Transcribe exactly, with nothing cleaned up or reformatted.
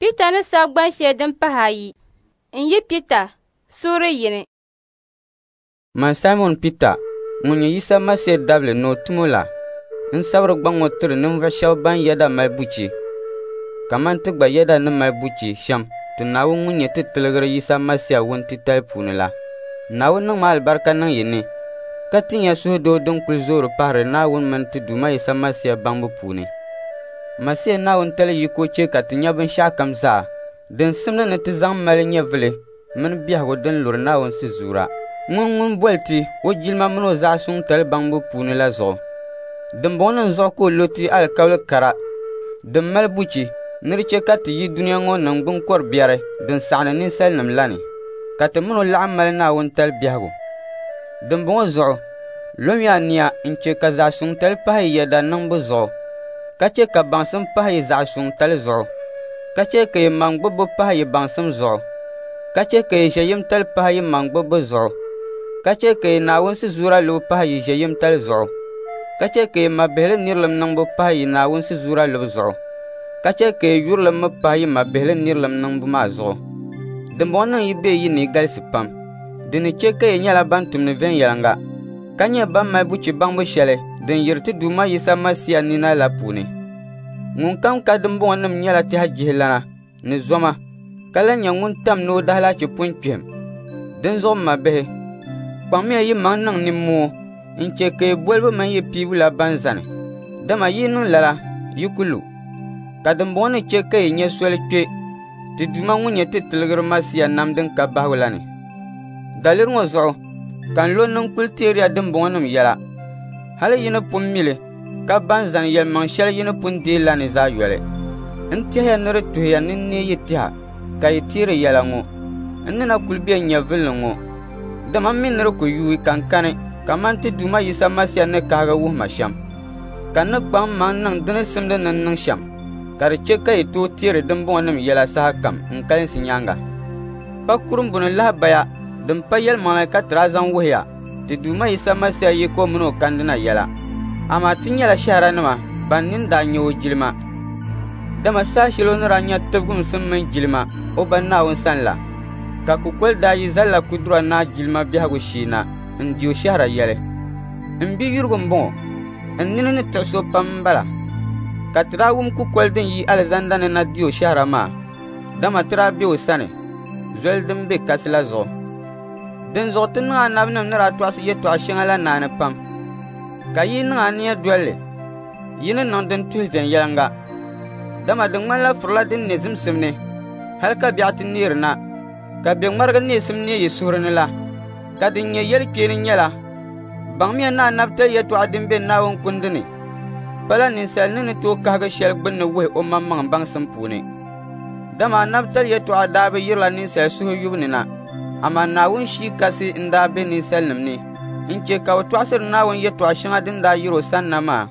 Pita ni sabi gban shɛli din pahi ayi n-yi Pita suuri yini. Man Saimɔn Pita, ŋun nyɛ Yisa Masia dabili ni o tumo la, n sabiri gbaŋ ŋɔ tiri ninvuɣ shɛba ban yɛda mali buchi, kaman ti gba yɛda ni mali buchi shɛm ti Naawuni ŋun nyɛ ti Tiligir Yisa Masia wuntitali puuni la. Naawuni niŋmi alibarika niŋ yi ni, ka tin ya suhudoo din kul zoori pahiri Naawuni mini ti Duuma Yisa Masia baŋbu puuni. Masia Naawuni tali yiko chɛ ka ti nya binshɛɣukam zaa din simdi ni ti zaŋ mali nyɛvili mini biɛhigu din luri Naawuni sizuura. Ŋun ŋun boli ti o jilima mini o zaɣ suŋ tali baŋbu puuni la zuɣu. Dimbɔŋɔnim zuɣu ka o lo ti alikauli kara din mali buchi ni di chɛ ka ti yi dunia ŋɔ niŋgbuŋ kɔr biɛri din saɣindi ninsalinim la ni, ka ti min o laɣim mali Naawuni tali biɛhigu. Dimbɔŋɔ zuɣu, lomiya ania n-chɛ ka zaɣ suŋtali pahi yi yɛda niŋbu zuɣu, ka chɛ ka baŋsim pahi yi zaɣ suŋtali zuɣu, ka chɛ ka yi maŋgbibbu pahi yi baŋsim zuɣu, ka chɛ ka yi ʒiɛyimtali pahi yi maŋgbibbu zuɣu, ka chɛ ka yi Naawuni sizuura lubu pahi yi ʒiɛyimtali zuɣu, ka chɛ ka yi mabihili nirilim niŋbu pahi yi Naawuni sizuura lubu zuɣu, ka chɛ ka yi yurilim mi pahi yi mabihili nirilim niŋbu maa zuɣu. Dimbɔŋɔnim yi be yi ni galisi pam, di ni chɛ ka yi nyɛla ban tumdi viɛnyɛliŋga, ka nyɛ ban mali buchi baŋbu shɛli din yiri ti Duuma Yisa Masia nina la puuni. Ŋunkam ka dimbɔŋɔnim nyɛla tɛha jihilana ni zoma, ka lan nyɛ ŋun tam ni o daalahichi pun kpihim. Dinzuɣu m mabihi, kpaŋmiya yimaŋ niŋ nimmoo n-chɛ ka yi bolibu mini yi piibu la ban zani, dama yi niŋ lala, yi ku lu. Ka dimbɔŋɔ ni chɛ ka yi nya soli kpe ti Duuma ŋun nyɛ ti Tiligir Masia nam din ka bahigu la ni. Daliri ŋɔ zuɣu ka n lo ni n kul teeriya dimbɔŋɔnim yɛla, hali yi ni pun mi li ka ban zani yɛlimaŋ shɛli yi ni pun deei la ni zaa yoli. N tɛhiya ni di tuhiya ni n neei yi tɛha ka yi teeri yɛla ŋɔ, n ni na kul be n nyɛvili ni ŋɔ, dama m mi ni di ku yuui ka n kani kaman ti Duuma Yisa Masia ni kahigi wuhi ma shɛm. Ka n ni kpaŋ mmaŋ niŋ di ni simdi ni n niŋ shɛm, ka di chɛ ka yi tooi teeri dimbɔŋɔnim yɛla sahakam n kalinsi nyaaŋa. Pa kurimbuni lahabaya din pa yɛlimaŋli ka ti daa zaŋ wuhi ya ti Duuma Yisa Masia yiko min o kandina yɛla. Amaa ti nyɛla shɛhiranima ban nini daa nya o jilima. Dama saha shɛli o ni daa nya tibigimsim mini jilima o ba Naawuni sani la, ka kukoli daa yi Zallakudura Naa jilima biɛhigu shee na n-di o shɛhira yɛli, “M biyurigu m-bɔŋɔ, n nini ni tiɣi so pam m-bala.” Ka ti daa wum kukoli din yi alizanda ni na di o shɛhira maa, dama ti daa be o sani, zoli din be kasi la zuɣu. Dinzuɣu ti niŋ anabinim ni daa tɔɣisi yɛtɔɣ shɛŋa la naani pam, ka yi niŋ ania doli li, yi ni niŋ din tuhi viɛnyɛliŋga. Dama di ŋmanila furila din ne zimsim ni, hal ka biɛɣu ti neeri na, ka bɛ ŋmarigi neesim neei yi suhuri ni la. Ka din nyɛ yɛlikpeeni nyɛla, baŋmiya ni anabitali yɛtɔɣa din be Naawuni kundi ni pala ninsal ni ni tooi kahigi shɛli gbunni wuhi o maŋmaŋ baŋsim puuni. Dama anabitali yɛtɔɣa daa bi yirila ninsal suhu yubu ni na, amaa Naawuni Shii Kasi n-daa be ninsalinim ni n-chɛ ka bɛ tɔɣisiri Naawuni yɛtɔɣ shɛŋa din daa yiri o sani na maa